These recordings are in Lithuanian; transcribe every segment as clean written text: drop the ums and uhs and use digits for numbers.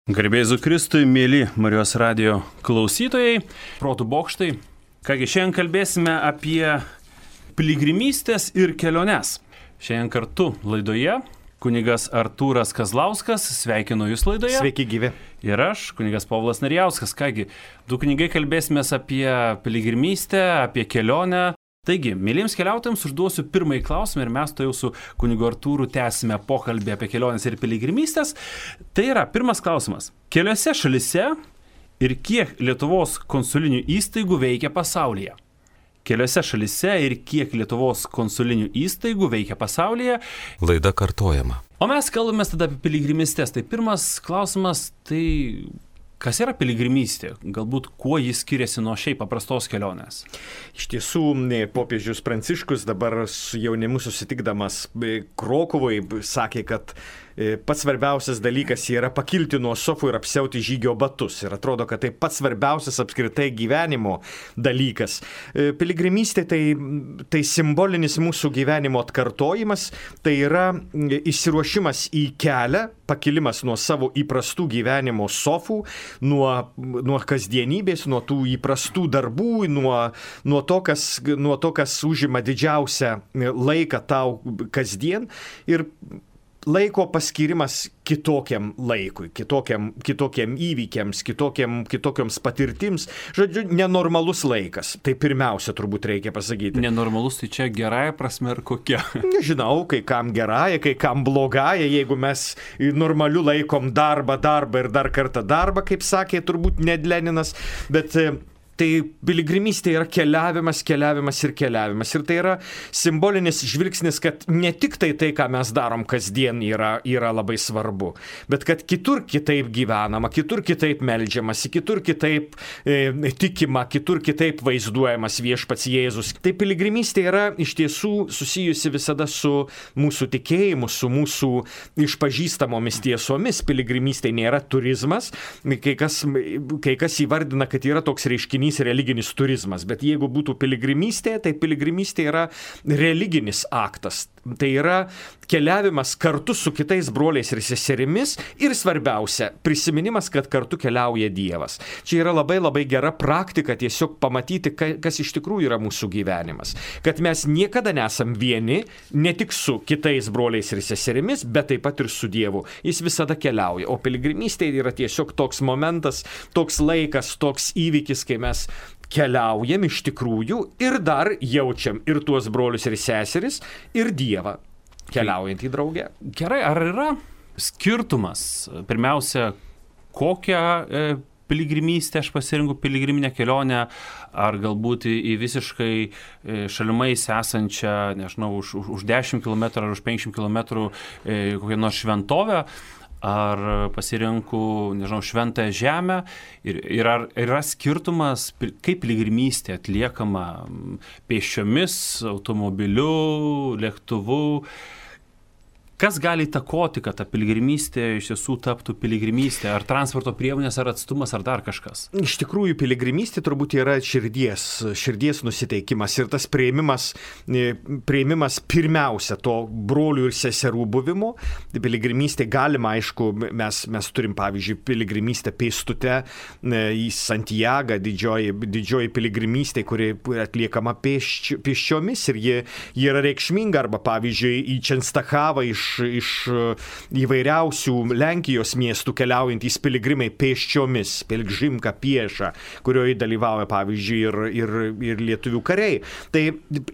Garbėzu Kristui, mėly Marijos radijo klausytojai, protų bokštai. Kągi, šiandien kalbėsime apie piligrimystės ir keliones. Šiandien kartu laidoje kunigas Artūras Kazlauskas, sveikinu jūs laidoje. Sveiki gyvi. Ir aš, kunigas Povilas Narijauskas. Kągi, du kunigai kalbėsime apie piligrimystę, apie kelionę. Taigi, mėlyms keliautojams užduosiu pirmąjį klausimą ir mes to jau su kunigu Artūru tęsime pokalbį apie keliones ir piligrimystės. Tai yra pirmas klausimas. Keliose šalise ir kiek Lietuvos konsulinių įstaigų veikia pasaulyje? Keliose šalise ir kiek Lietuvos konsulinių įstaigų veikia pasaulyje? Laida kartojama. O mes kalbame tada apie piligrimystės. Tai pirmas klausimas, tai kas yra piligrimystė? Galbūt kuo jis skiriasi nuo šiaip paprastos kelionės? Iš tiesų, popiežius Pranciškus dabar su jaunimu susitikdamas Krokuvoj sakė, kad pats svarbiausias dalykas yra pakilti nuo sofų ir apsiauti žygio batus. Ir atrodo, kad tai pats svarbiausias apskritai gyvenimo dalykas. Piligrimystė tai simbolinis mūsų gyvenimo atkartojimas, tai yra išsiruošimas į kelią, pakilimas nuo savo įprastų gyvenimo sofų, nuo kasdienybės, nuo tų įprastų darbų, nuo to, kas užima didžiausią laiką tau kasdien ir laiko paskirimas kitokiam laikui, kitokiam įvykiams, kitokioms patirtims. Žodžiu, nenormalus laikas. Tai pirmiausia turbūt reikia pasakyti. Nenormalus tai čia gerąja prasme ar kokia? Nežinau, kai kam gerąja, kai kam blogąja. Jeigu mes normaliu laikom darbą ir dar kartą darbą, kaip sakė turbūt Ned Leninas, bet tai piligrimystė yra keliavimas. Ir tai yra simbolinis žvilgsnis, kad ne tik tai, ką mes darom kasdien yra labai svarbu, bet kad kitur kitaip gyvenama, kitur kitaip meldžiamasi, kitur kitaip tikima, kitur kitaip vaizduojamas viešpats Jėzus. Tai piligrimystė yra iš tiesų susijusi visada su mūsų tikėjimu, su mūsų išpažįstamomis tiesomis. Piligrimystė nėra turizmas. Kai kas įvardina, kad yra toks reiškinys religinis turizmas, bet jeigu būtų piligrimystė, tai piligrimystė yra religinis aktas. Tai yra keliavimas kartu su kitais broliais ir seserimis ir svarbiausia, prisiminimas, kad kartu keliauja Dievas. Čia yra labai labai gera praktika tiesiog pamatyti, kas iš tikrųjų yra mūsų gyvenimas. Kad mes niekada nesam vieni, ne tik su kitais broliais ir seserimis, bet taip pat ir su Dievu. Jis visada keliauja. O piligrimystė yra tiesiog toks momentas, toks laikas, toks įvykis, kai mes keliaujam iš tikrųjų ir dar jaučiam ir tuos brolius ir seseris, ir Dievą keliaujantį draugę. Gerai, ar yra skirtumas? Pirmiausia, kokią piligrimystę aš pasirinku, piligriminę kelionę, ar galbūt į visiškai šalimais esančią, nežinau, už 10 km ar už 50 km kokią nors šventovę, ar pasirinku, nežinau, šventąją žemę ir ar yra skirtumas, kaip piligrimystė atliekama pėsčiomis, automobiliu, lėktuvu. Kas gali įtakoti, kad ta piligrimystė iš tiesų taptų piligrimystė? Ar transporto priemonės, ar atstumas, ar dar kažkas? Iš tikrųjų, piligrimystė turbūt yra širdies nusiteikimas ir tas priėmimas pirmiausia to brolių ir seserų buvimo. Piligrimystė galima, aišku, mes turim, pavyzdžiui, piligrimystę pėstute į Santiagą, didžioji piligrimystė, kuri atliekama pėsčiomis ir ji yra reikšminga, arba, pavyzdžiui, į Čenstachavą iš įvairiausių Lenkijos miestų keliaujantys piligrimai pėsčiomis, piligrimka pieša, kurioje dalyvauja, pavyzdžiui, ir lietuvių kariai. Tai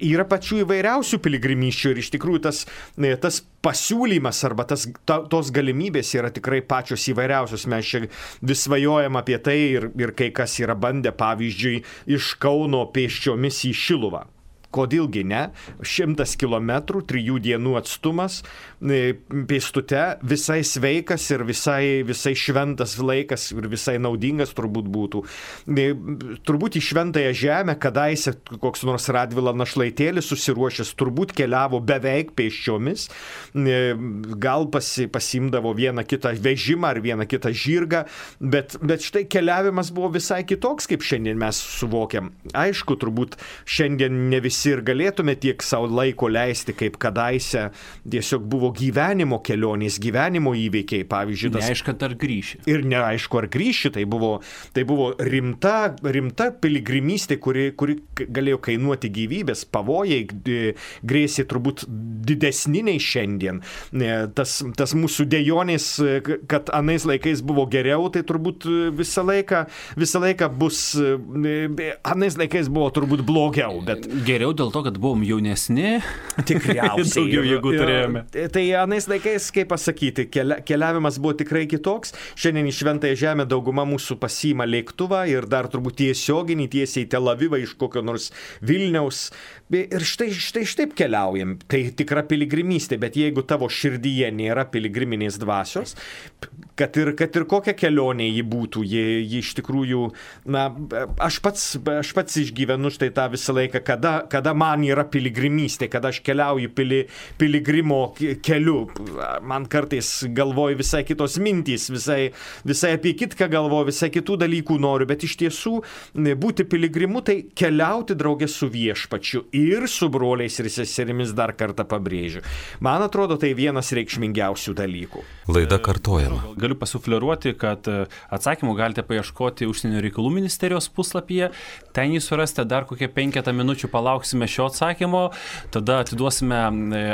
yra pačių įvairiausių piligrimysčių ir iš tikrųjų tas pasiūlymas arba tos galimybės yra tikrai pačios įvairiausios. Mes čia vis svajojam apie tai ir kai kas yra bandę, pavyzdžiui, iš Kauno pėsčiomis į Šiluvą. Kodėlgi ne? 100 km, 3 dienų atstumas, pėstute, visai sveikas ir visai šventas laikas ir visai naudingas turbūt būtų. Turbūt į šventąją žemę kadaise koks nors Radvila našlaitėlis susiruošęs turbūt keliavo beveik pėsčiomis, gal pasimdavo vieną kitą vežimą ar vieną kitą žirgą, bet štai keliavimas buvo visai kitoks, kaip šiandien mes suvokiam. Aišku, turbūt šiandien ne visi visi ir galėtume tiek savo laiko leisti, kaip kadaise tiesiog buvo gyvenimo kelionės, gyvenimo įveikiai, pavyzdžiui. Neaišku, ar grįši. Ir neaišku, ar grįši, tai buvo rimta piligrimystė, kuri galėjo kainuoti gyvybės, pavojai grėsė turbūt didesni nei šiandien. Tas mūsų dejonės, kad anais laikais buvo geriau, tai turbūt visą laiką bus, anais laikais buvo turbūt blogiau. Bet geriau dėl to, kad buvom jaunesni. Tikriausiai. Daugiau jėgų turėjome. Tai anais laikais, kaip pasakyti, keliavimas buvo tikrai kitoks. Šiandien į Šventąją Žemę dauguma mūsų pasiima lėktuvą ir dar turbūt tiesioginį tiesiai į Tel Avivą iš kokio nors Vilniaus. Ir štai taip keliaujam. Tai tikra piligrimystė, bet jeigu tavo širdyje nėra piligriminės dvasios, kad ir kokia kelionė ji būtų, ji iš tikrųjų, aš pats išgyvenu štai tą visą laiką, kada man yra piligrimystė, kada aš keliauju piligrimo keliu. Man kartais galvoju visai kitos mintys, visai apie kitką galvoju, visai kitų dalykų noriu, bet iš tiesų būti piligrimu tai keliauti draugė su viešpačiu ir su broliais ir seserimis, dar kartą pabrėžiu. Man atrodo, tai vienas reikšmingiausių dalykų. Laida kartojama. Galiu pasufleruoti, kad atsakymų galite paieškoti Užsienio reikalų ministerijos puslapyje. Ten jį surasite, dar kokie 5 minučių palauksime šio atsakymo, tada atiduosime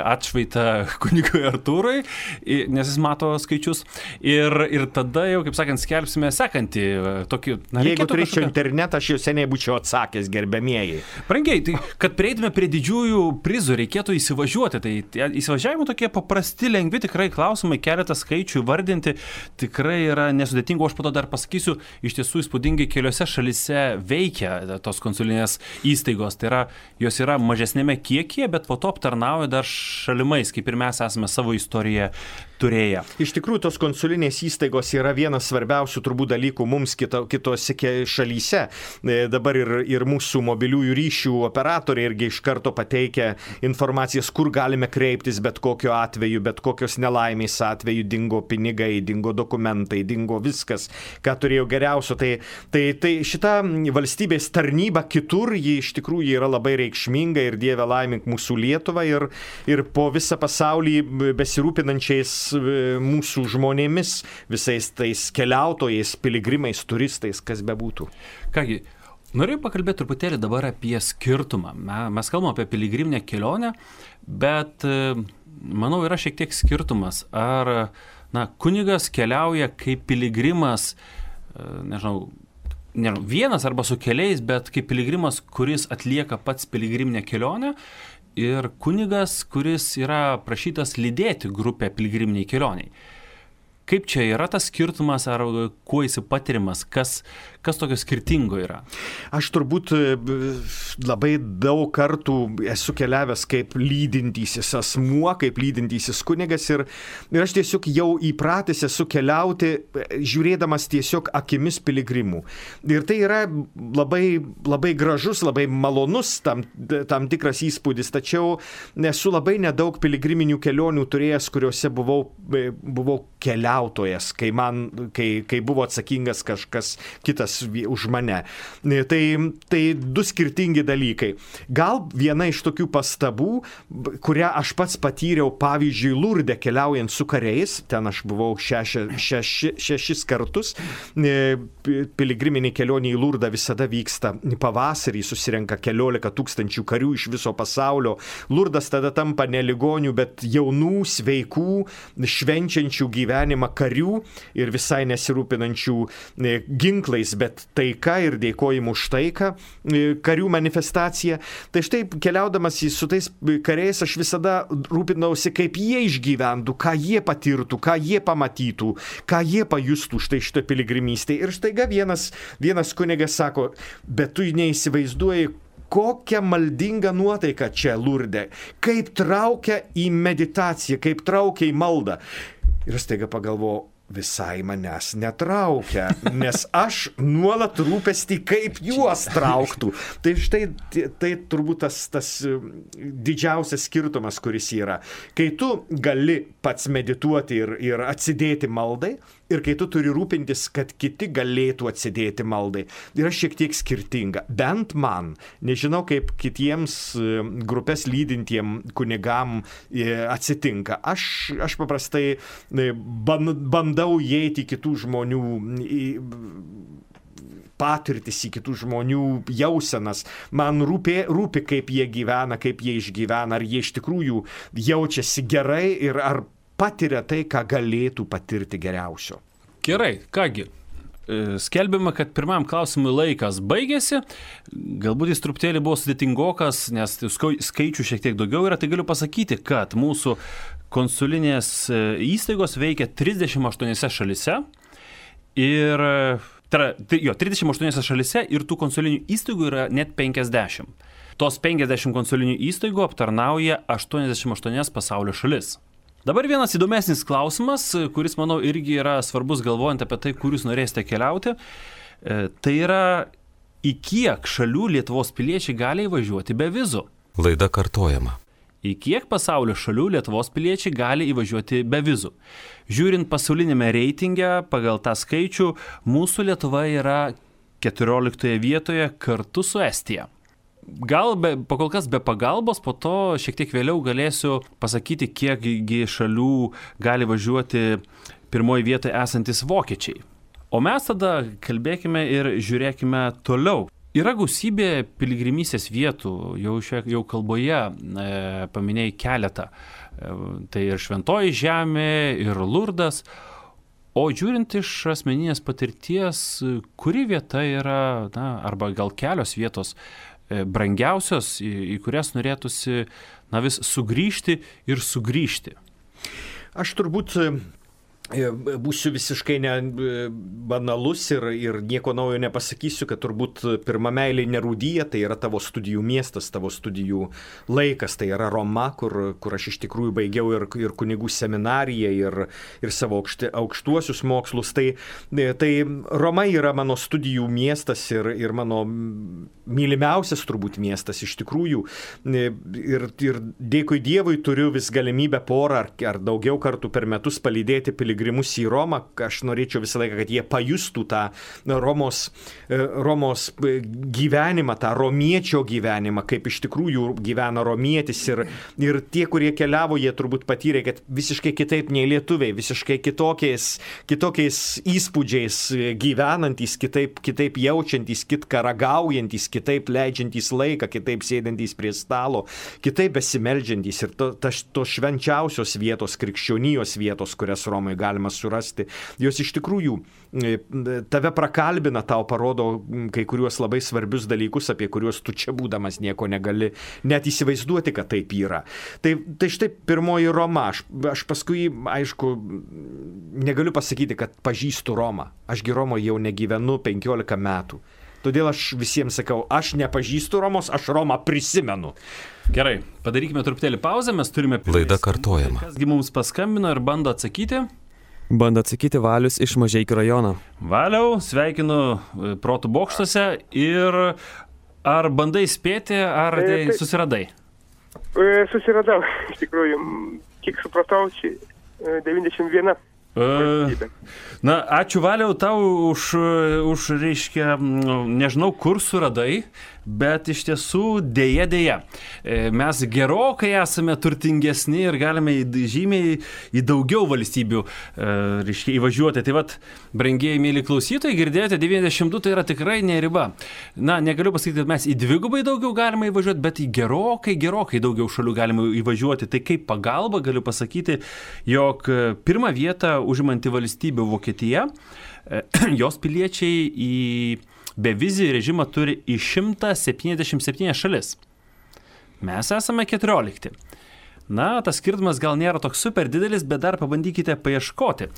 atšvaitą kunigui Artūrui, nes jis mato skaičius. Ir tada jau, kaip sakant, skelbsime sekantį tokį... Jeigu turėčiau internetą, aš jau seniai būčiau atsakęs, gerbiamieji. Brangiai, tai kad prieitume prie didžiųjų prizų, reikėtų įsivažiuoti. Tai įsivažiavimo tokie paprasti, lengvi tikrai klausimai, keletą skaičių įvardinti tikrai yra nesudėtinga. Aš po to dar pasakysiu, iš tiesų įspūdingai keliose šalise veikia tos konsulinės įstaigos. Tai yra, jos yra mažesnėme kiekyje, bet po to aptarnauja dar šalimais, kaip ir mes esame savo istoriją turėję. Iš tikrųjų, tos konsulinės įstaigos yra vienas svarbiausių turbūt dalykų mums kitose šalyse. Dabar ir mūsų mobiliųjų ryšių operatoriai irgi iš karto pateikia informacijas, kur galime kreiptis bet kokiu atveju, bet kokios nelaimės atveju, dingo pinigai, dingo dokumentai, dingo viskas, ką turėjau geriausio. Tai šita valstybės tarnyba kitur, ji iš tikrųjų yra labai reikšminga ir Dieve laimink mūsų Lietuvą ir po visą pasaulį besirūpinančiais mūsų žmonėmis, visais tais keliautojais, piligrimais, turistais, kas bebūtų. Kągi, norėjau pakalbėti truputėlį dabar apie skirtumą. Mes kalbame apie piligriminę kelionę, bet manau yra šiek tiek skirtumas. Ar kunigas keliauja kaip piligrimas, nežinau, vienas arba su keliais, bet kaip piligrimas, kuris atlieka pats piligriminę kelionę, ir kunigas, kuris yra prašytas lydėti grupę piligriminiai kelioniai. Kaip čia yra tas skirtumas, ar kuo jis patiriamas, kas tokio skirtingo yra? Aš turbūt labai daug kartų esu keliavęs kaip lydintysis asmuo, kaip lydintysis kunigas ir aš tiesiog jau įpratęs esu keliauti, žiūrėdamas tiesiog akimis piligrimų. Ir tai yra labai, labai gražus, labai malonus tam tikras įspūdis, tačiau esu labai nedaug piligriminių kelionių turėjęs, kuriuose buvau keliautojas, kai buvo atsakingas kažkas kitas už mane. Tai du skirtingi dalykai. Gal viena iš tokių pastabų, kurią aš pats patyriau, pavyzdžiui, Lurde keliaujant su kariais, ten aš buvau šešis kartus, piligriminė kelionė į Lurdą visada vyksta pavasarį, susirenka 14 000 karių iš viso pasaulio. Lurdas tada tampa ne ligonių, bet jaunų, sveikų, švenčiančių gyvenimą karių ir visai nesirūpinančių ginklais, bet taika ir dėkojimu už taiką, karių manifestacija. Tai štai keliaudamas su tais kariais aš visada rūpinausi, kaip jie išgyventų, ką jie patirtų, ką jie pamatytų, ką jie pajustų štai piligrimystėje. Ir štaiga vienas kunigas sako, bet tu neįsivaizduoji, kokia maldinga nuotaika čia Lurde, kaip traukia į meditaciją, kaip traukia į maldą. Ir staiga pagalvojau, visai manęs netraukia, nes aš nuolat rūpestį, kaip juos trauktų. Tai štai tai turbūt tas didžiausias skirtumas, kuris yra. Kai tu gali pats medituoti ir atsidėti maldai, ir kai tu turi rūpintis, kad kiti galėtų atsidėti maldai, yra šiek tiek skirtinga. Bent man, nežinau kaip kitiems grupės lydintiem kunigam atsitinka. Aš paprastai bandau įeiti į kitų žmonių patirtis, į kitų žmonių jausenas. Man rūpi, kaip jie gyvena, kaip jie išgyvena, ar jie iš tikrųjų jaučiasi gerai ir ar patiria tai, ką galėtų patirti geriausio. Gerai, kągi. Skelbiama, kad pirmam klausimui laikas baigėsi. Galbūt jis truputėlį buvo sudėtingokas, nes skaičių šiek tiek daugiau yra. Tai galiu pasakyti, kad mūsų konsulinės įstaigos veikia 38 šalise. Ir 38 šalise ir tų konsulinių įstaigų yra net 50. Tos 50 konsulinių įstaigų aptarnauja 88 pasaulio šalis. Dabar vienas įdomesnis klausimas, kuris, manau, irgi yra svarbus galvojant apie tai, kur jūs norėsite keliauti. Tai yra, į kiek šalių Lietuvos piliečiai gali įvažiuoti be vizų? Laida kartojama. Į kiek pasaulio šalių Lietuvos piliečiai gali įvažiuoti be vizų? Žiūrint pasaulinėme reitinge, pagal tą skaičių, mūsų Lietuva yra 14 vietoje kartu su Estija. Gal pakol kas be pagalbos, po to šiek tiek vėliau galėsiu pasakyti, kiekgi šalių gali važiuoti pirmoje vietoje esantis vokiečiai. O mes tada kalbėkime ir žiūrėkime toliau. Yra gausybė piligrimystės vietų, jau kalboje paminėjai keletą. Tai ir Šventoji Žemė, ir Lurdas. O žiūrint iš asmeninės patirties, kuri vieta yra, arba gal kelios vietos brangiausios, į kurias norėtųsi vis sugrįžti ir sugrįžti? Aš turbūt būsiu visiškai banalus ir nieko naujo nepasakysiu, kad turbūt pirma meilė nerūdyja, tai yra tavo studijų miestas, tavo studijų laikas, tai yra Roma, kur aš iš tikrųjų baigiau ir kunigų seminariją, ir savo aukštuosius mokslus. Tai Roma yra mano studijų miestas ir mano mylimiausias turbūt miestas iš tikrųjų. Ir dėkui Dievui turiu vis galimybę porą ar daugiau kartų per metus palydėti piligrimus į Romą. Aš norėčiau visą laiką, kad jie pajustų tą Romos gyvenimą, tą romiečio gyvenimą, kaip iš tikrųjų gyvena romietis. Ir tie, kurie keliavo, jie turbūt patyrė, kad visiškai kitaip nei lietuviai, visiškai kitokiais įspūdžiais gyvenantys, kitaip jaučiantys, kitką ragaujantys, kitaip leidžiantys laiką, kitaip sėdantys prie stalo, kitaip besimeldžiantys. Ir tos švenčiausios vietos, krikščionijos vietos, kurias Romoje galima surasti, jos iš tikrųjų tave prakalbina, tau parodo kai kuriuos labai svarbius dalykus, apie kuriuos tu čia būdamas nieko negali net įsivaizduoti, kad taip yra. Tai štai pirmoji Roma. Aš paskui, aišku, negaliu pasakyti, kad pažįstu Romą. Ašgi Romoje jau negyvenu 15 metų. Todėl aš visiems sakau, aš nepažįstu Romos, aš Romą prisimenu. Gerai, padarykime truputėlį pauzę, mes turime... Laida kartojama. Kasgi mums paskambino ir bando atsakyti? Bando atsakyti Valius iš Mažeikių rajono. Valiau, sveikinu Protų bokštuose ir ar bandai spėti, ar susiradai? Susiradau, iš tikrųjų, kiek supratau, 91. Na, ačiū Valiau tau už reiškia, nežinau, kur suradai, bet iš tiesų dėja. Mes gerokai esame turtingesni ir galime žymiai į daugiau valstybių reiškia, įvažiuoti. Tai vat, brangieji mėly klausytojai, girdėjote, 92 tai yra tikrai ne riba. Na, negaliu pasakyti, kad mes į dvigubai daugiau galime įvažiuoti, bet į gerokai daugiau šalių galime įvažiuoti. Tai kaip pagalba galiu pasakyti, jog pirmą vietą užimanti valstybė Vokietija, jos piliečiai į bevizį režimą turi į 177 šalis. Mes esame 14. Na, tas skirtumas gal nėra toks super didelis, bet dar pabandykite paieškoti.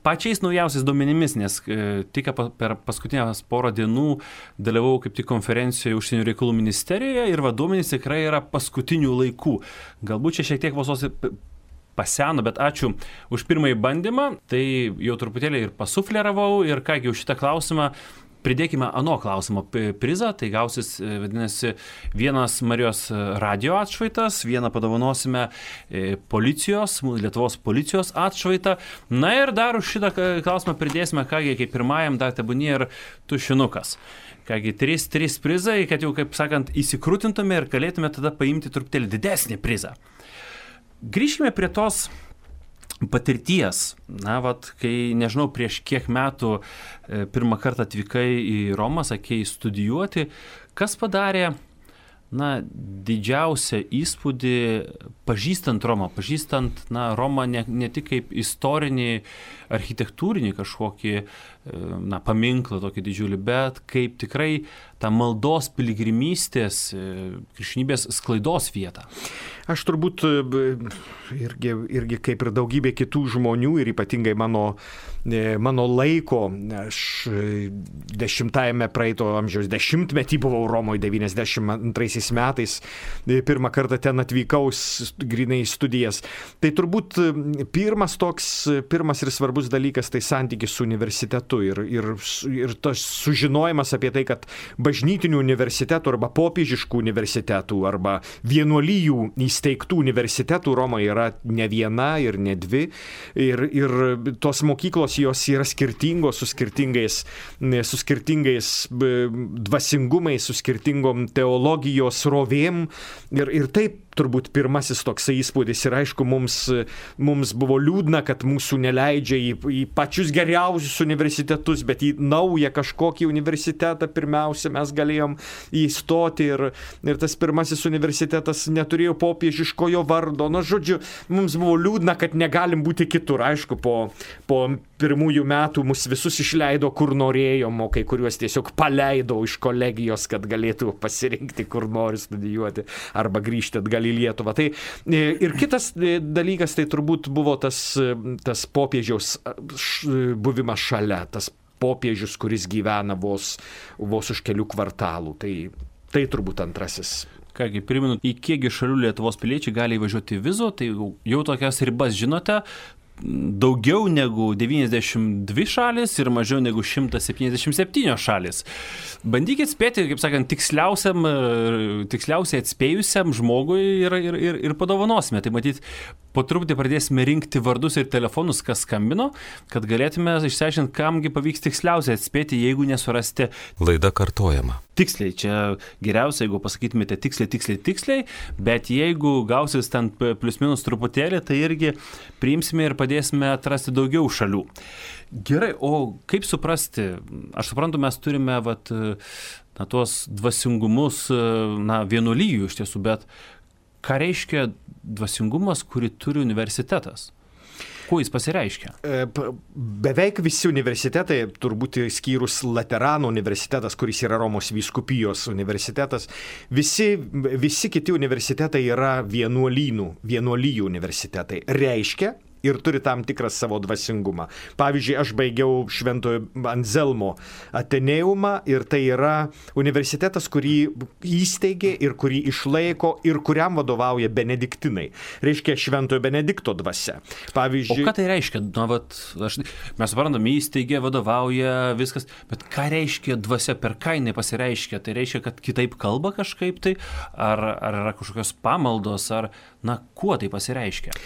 Pačiais naujausiais duomenimis, nes tik per paskutinės porą dienų dalyvau kaip tik konferencijoje Užsienio reikalų ministerijoje ir duomenys tikrai yra paskutinių laikų. Galbūt čia šiek tiek vos paseno, bet ačiū už pirmąjį bandymą. Tai jau truputėlį ir pasufleravau ir kągi už šitą klausimą pridėkime ano klausimo prizą, tai gausis, vadinasi, vienas Marijos radio atšvaitas, vieną padovanosime Lietuvos policijos atšvaitą. Na ir dar už šitą klausimą pridėsime, kągi, kaip pirmajam dar tebūnie ir tušinukas. Kągi, 3 prizai, kad jau, kaip sakant, įsikrūtintume ir galėtume tada paimti truputėlį didesnį prizą. Grįžkime prie tos patirties. Na, kai, nežinau, prieš kiek metų pirmą kartą atvykai į Romą, sakei, studijuoti, kas padarė, didžiausią įspūdį pažįstant Romą, Romą ne tik kaip istorinį, architektūrinį kažkokį, paminklą tokį didžiulį, bet kaip tikrai tą maldos piligrimystės, krikščionybės sklaidos vietą. Aš turbūt irgi kaip ir daugybė kitų žmonių ir ypatingai mano laiko, aš 10-ame praeito amžiaus dešimtmetį buvau Romoje 92 metais, pirmą kartą ten atvykau grynai į studijas. Tai turbūt pirmas ir svarbus dalykas tai santykis su universitetu ir tas sužinojimas apie tai, kad bažnytinių universitetų arba popiežiškų universitetų arba vienuolijų įsteigtų universitetų Romoje yra ne viena ir ne dvi ir tos mokyklos jos yra skirtingos, su skirtingais dvasingumais, su skirtingom teologijos rovėm ir taip turbūt pirmasis toksai įspūdis ir aišku, mums buvo liūdna, kad mūsų neleidžia į pačius geriausius universitetus, bet į naują kažkokį universitetą pirmiausia mes galėjom įstoti ir tas pirmasis universitetas neturėjo popiežiškojo vardo. Žodžiu, mums buvo liūdna, kad negalim būti kitur. Aišku, po pirmųjų metų mus visus išleido kur norėjom, o kai kuriuos tiesiog paleido iš kolegijos, kad galėtų pasirinkti, kur nori studijuoti arba grįžti atgal į Lietuvą. Tai, ir kitas dalykas, tai turbūt buvo tas popiežiaus buvimas šalia, tas popiežius, kuris gyvena vos už kelių kvartalų. Tai turbūt antrasis. Kągi, primenu, į kiekgi šalių Lietuvos piliečiai gali įvažiuoti vizų, tai jau tokias ribas žinote. Daugiau negu 92 šalis ir mažiau negu 177 šalis. Bandykit spėti, kaip sakant, tiksliausiai atspėjusiam žmogui ir padovanosime. Tai matyt, po truputį pradėsime rinkti vardus ir telefonus, kas skambino, kad galėtume išsiaiškinti, kamgi pavyks tiksliausiai atspėti, jeigu nesurasti. Laida kartojama. Tiksliai, čia geriausia, jeigu pasakytumėte tiksliai, bet jeigu gausis ten plius minus truputėlį, tai irgi priimsime ir padėsime atrasti daugiau šalių. Gerai, o kaip suprasti? Aš suprantu, mes turime tuos dvasingumus vienuolijų iš tiesų, bet ką reiškia dvasingumas, kurį turi universitetas? Kuo jis pasireiškia? Beveik visi universitetai, turbūt skyrus Laterano universitetas, kuris yra Romos vyskupijos universitetas, visi kiti universitetai yra vienuolijų universitetai. Reiškia ir turi tam tikrą savo dvasingumą. Pavyzdžiui, aš baigiau Šventojo Anzelmo Ateneumą ir tai yra universitetas, kurį įsteigė ir kurį išlaiko ir kuriam vadovauja benediktinai. Reiškia Šventojo Benedikto dvasia. Pavyzdžiui, o ką tai reiškia? Mes suprantame, įsteigė, vadovauja, viskas, bet ką reiškia dvasia, per ką jinai pasireiškia? Tai reiškia, kad kitaip kalba kažkaip tai, ar yra kažkokios pamaldos, ar kuo tai pasireiškia?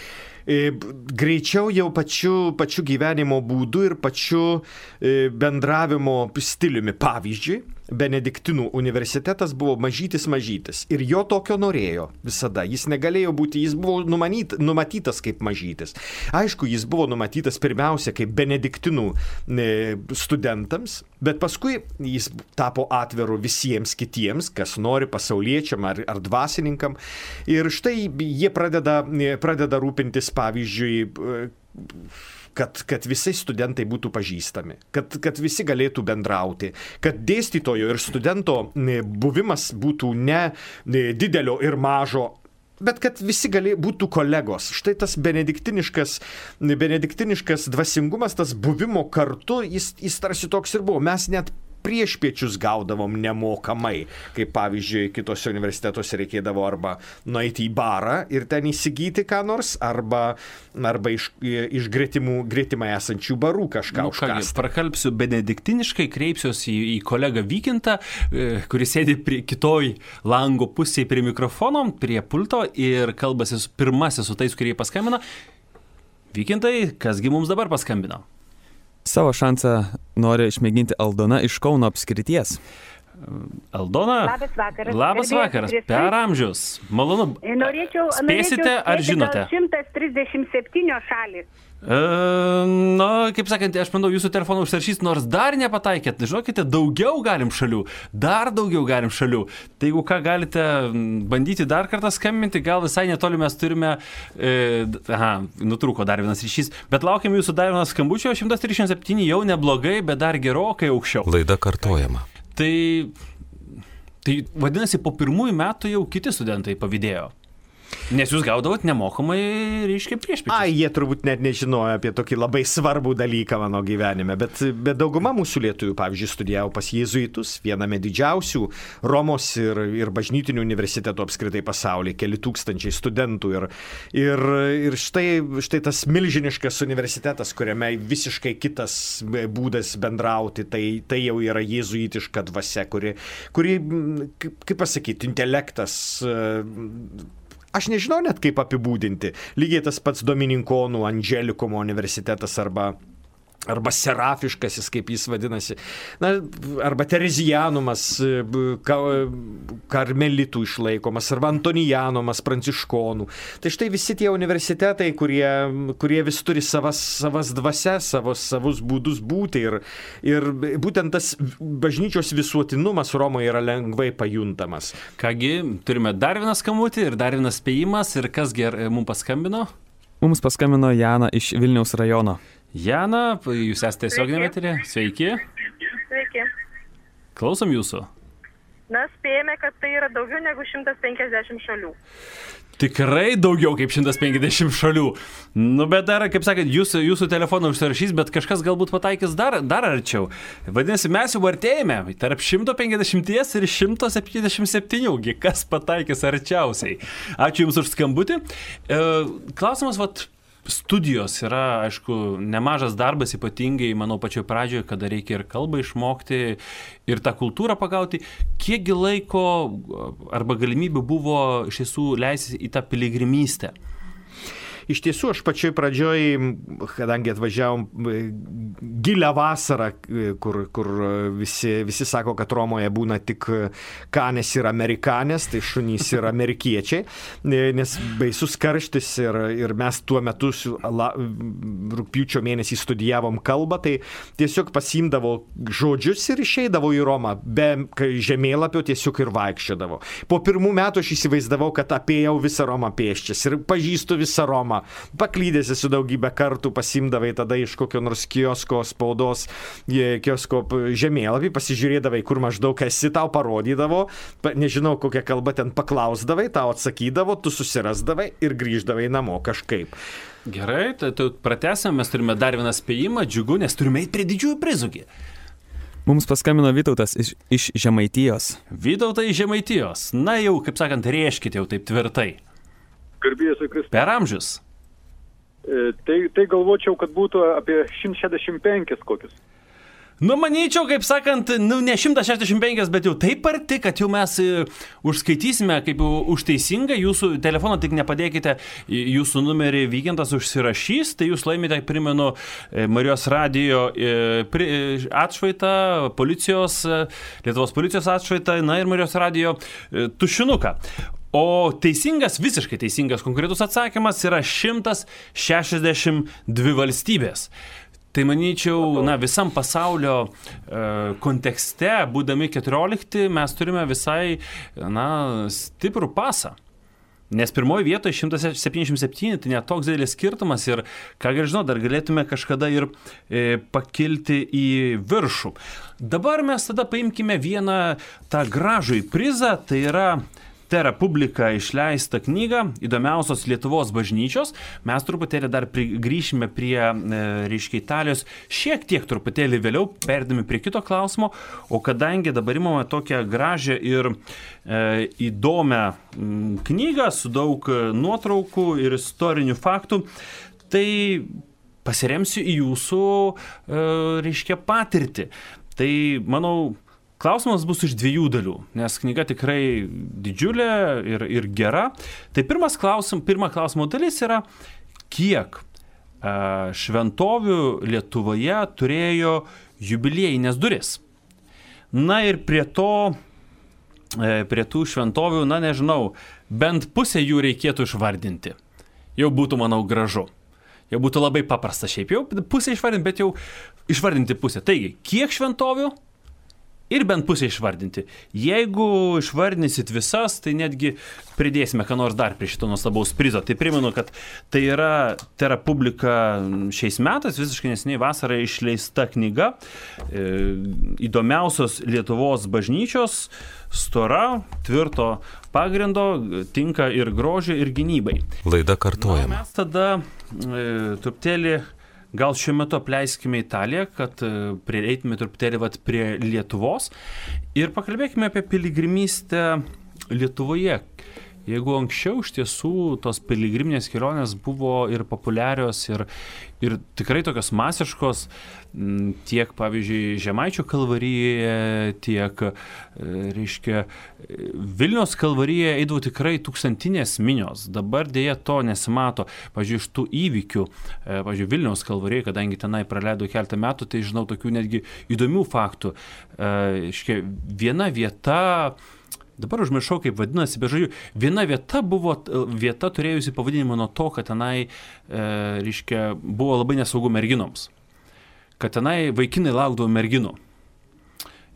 Greičiau jau pačiu gyvenimo būdu ir pačiu bendravimo stiliumi. Pavyzdžiui, Benediktinų universitetas buvo mažytis ir jo tokio norėjo visada. Jis negalėjo būti, jis buvo numatytas kaip mažytis. Aišku, jis buvo numatytas pirmiausia kaip benediktinų studentams, bet paskui jis tapo atviru visiems kitiems, kas nori, pasauliečiam ar dvasininkam. Ir štai jie pradeda rūpintis, pavyzdžiui, kad visi studentai būtų pažįstami, kad visi galėtų bendrauti, kad dėstytojo ir studento buvimas būtų ne didelio ir mažo, bet kad visi būtų kolegos. Štai tas benediktiniškas dvasingumas, tas buvimo kartu, jis tarsi toks ir buvo. Mes net priešpiečius gaudavom nemokamai, kaip pavyzdžiui, kitose universitetuose reikėdavo arba nueiti į barą ir ten įsigyti ką nors, arba iš gretimai esančių barų kažką užkąsti. Prakalbsiu benediktiniškai, kreipsiuosi į kolegą Vykintą, kuris sėdi kitoj lango pusėje prie mikrofono, prie pulto ir kalbasi pirmasis su tais, kurie paskambino. Vykintai, kasgi mums dabar paskambino? Savo šansą nori išmėginti Aldona iš Kauno apskrities. Aldona? Labas vakaras. Per amžius. Malonu. Spėsite ar žinote? 137 šalis. Kaip sakant, aš manau, jūsų telefoną užsirašys, nors dar nepataikėt. Žinokite, daugiau galim šalių. Dar daugiau galim šalių. Tai jeigu ką galite bandyti dar kartą skambinti, gal visai netoli mes turime... nutrūko dar vienas ryšys. Bet laukiam jūsų dar vienas skambučio. 137 jau neblogai, bet dar gerokai aukščiau. Laida kartojama. Tai vadinasi, po pirmųjų metų jau kiti studentai pavydėjo. Nes jūs gaudavot nemokamai, reiškia, priešpiečius. Jie turbūt net nežinojo apie tokį labai svarbų dalyką mano gyvenime, bet dauguma mūsų lietuvių, pavyzdžiui, studijavo pas jėzuitus, viename didžiausių Romos ir bažnytinių universitetų apskritai pasaulyje, keli tūkstančiai studentų. Ir štai tas milžiniškas universitetas, kuriame visiškai kitas būdas bendrauti, tai jau yra jėzuitiška dvasia, kuri kaip pasakyti, intelektas. Aš nežinau net kaip apibūdinti. Lygiai tas pats Domininkonų Angelikumo universitetas arba Serafiškasis, kaip jis vadinasi, arba Terezijanumas, Karmelitų išlaikomas, arba Antonijanumas, Pranciškonų. Tai štai visi tie universitetai, kurie vis turi savas dvasias, savus būdus būti ir būtent tas bažnyčios visuotinumas Romoje yra lengvai pajuntamas. Kągi, turime dar vieną skambutį ir dar vienas spėjimas ir kas mums paskambino? Mums paskambino Jana iš Vilniaus rajono. Jana, jūs esate tiesioginėme eteryje. Sveiki. Sveiki. Klausom jūsų. Spėjame, kad tai yra daugiau negu 150 šalių. Tikrai daugiau kaip 150 šalių. Bet dar, kaip sakant, jūsų telefoną užsirašys, bet kažkas galbūt pataikys dar arčiau. Vadinasi, mes jau artėjame tarp 150 ir 177. Kas pataikys arčiausiai? Ačiū Jums už skambutį. Klausimas, studijos yra, aišku, nemažas darbas, ypatingai, manau, pačioje pradžioje, kada reikia ir kalbą išmokti, ir tą kultūrą pagauti. Kiekgi laiko arba galimybių buvo iš tiesų leistis į tą piligrimystę? Iš tiesų, aš pačioj pradžioj, kadangi atvažiavom gilią vasarą, kur visi sako, kad Romoje būna tik kanės ir amerikanės, tai šunys ir amerikiečiai, nes baisus karštis ir mes tuo metu rugpjūčio mėnesį studijavom kalbą, tai tiesiog pasiimdavo žodžius ir išeidavo į Romą, be žemėlapio tiesiog ir vaikščiodavo. Po pirmų metų aš įsivaizdavau, kad apėjau visą Romą pėsčias ir pažįstu visą Romą. Paklydėsi su daugybę kartų, pasimdavai tada iš kokio nors kiosko spaudos, kiosko žemėlapį, pasižiūrėdavai, kur maždaug esi, tau parodydavo, nežinau, kokią kalbą ten paklausdavai, tau atsakydavo, tu susirasdavai ir grįždavai namo kažkaip. Gerai, tai pratęsime, mes turime dar vieną spėjimą, džiugu, nes turime eiti prie didžiųjų prizų. Mums paskambino Vytautas iš Žemaitijos. Vytautai iš Žemaitijos. Na jau, kaip sakant, rėžkite jau taip tvirtai. Garbėjus Kristus. Per amžius. Tai galvočiau, kad būtų apie 165 kokius. Manyčiau, kaip sakant, ne 165, bet jau taip arti, kad jau mes užskaitysime kaip už teisingą. Jūsų telefoną tik nepadėkite, jūsų numerį Vykintas užsirašys, tai jūs laimite, primenu, Marijos radijo atšvaitą, Lietuvos policijos atšvaitą, ir Marijos radijo tušinuką. O visiškai teisingas konkretus atsakymas yra 162 valstybės. Tai manyčiau, visam pasaulio kontekste, būdami 14, mes turime visai stiprų pasą. Nes pirmoje vietoje 177, tai net toks didelis skirtumas ir, ką žinau, dar galėtume kažkada ir pakilti į viršų. Dabar mes tada paimkime vieną tą gražųjį prizą, tai yra Terra Publica išleistą knygą Įdomiausios Lietuvos bažnyčios. Mes truputėlį dar grįšime prie, reiškia, Italijos šiek tiek truputėlį vėliau, perdami prie kito klausimo, o kadangi dabar imame tokią gražią ir įdomią knygą su daug nuotraukų ir istorinių faktų, tai pasiremsiu į jūsų, reiškia, patirtį. Tai, manau, klausimas bus iš 2 dalių, nes knyga tikrai didžiulė ir gera. Tai pirma klausimo dalis yra, kiek šventovių Lietuvoje turėjo jubiliejinės duris. Na ir prie tų šventovių, na nežinau, bent pusę jų reikėtų išvardinti. Jau būtų, manau, gražu. Jau būtų labai paprasta šiaip jau pusę išvardinti, bet jau išvardinti pusę. Taigi, kiek šventovių ir bent pusę išvardinti. Jeigu išvardinsit visas, tai netgi pridėsime ką nors dar prie šito nuostabaus prizo. Tai primenu, kad tai yra Terra Publica šiais metais, visiškai neseniai vasarą išleista knyga Įdomiausios Lietuvos bažnyčios, stora, tvirto pagrindo, tinka ir grožiui, ir gynybai. Laida kartojama. Na, mes tada truputėlį gal šiuo metu apleiskime Italiją, kad prieitume truputėlį prie Lietuvos ir pakalbėkime apie piligrimystę Lietuvoje. Jeigu anksčiau iš tiesų tos piligriminės kelionės buvo ir populiarios, ir tikrai tokios masiškos, tiek, pavyzdžiui, Žemaičių kalvarijoje, tiek, reiškia, Vilniaus kalvarijoje eidavo tikrai tūkstantinės minios. Dabar dėja to nesimato. Pavyzdžiui, iš tų įvykių, pavyzdžiui, Vilniaus kalvarijoje, kadangi tenai praleido keletą metų, tai žinau tokių netgi įdomių faktų. Reiškia, viena vieta, dabar užmiršau, kaip vadinasi, bet žodžiu, viena vieta buvo vieta turėjusi pavadinimą nuo to, kad tenai, reiškia, buvo labai nesaugu merginoms. Kad tenai vaikinai laukdavo merginų.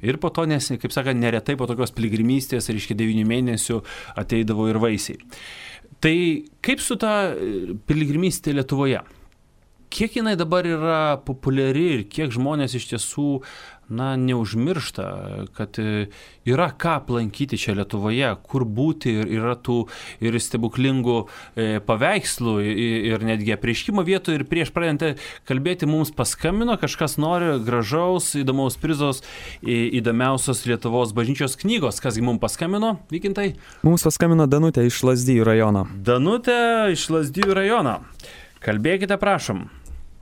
Ir po to, kaip sakant, neretai po tokios piligrimystės, reiškia, 9 mėnesių ateidavo ir vaisiai. Tai kaip su ta piligrimystė Lietuvoje? Kiek jinai dabar yra populiari ir kiek žmonės iš tiesų, na, neužmiršta, kad yra ką aplankyti čia Lietuvoje, kur būti, ir yra tų ir stebuklingų paveikslų ir netgi apreiškimo vietų. Ir prieš pradedant kalbėti mums paskambino, kažkas nori gražaus, įdomaus prizos Įdomiausios Lietuvos bažnyčios knygos. Kasgi mums paskambino, Vykintai? Mums paskambino Danutė iš Lazdijų rajono. Danutė iš Lazdijų rajono. Kalbėkite, prašom.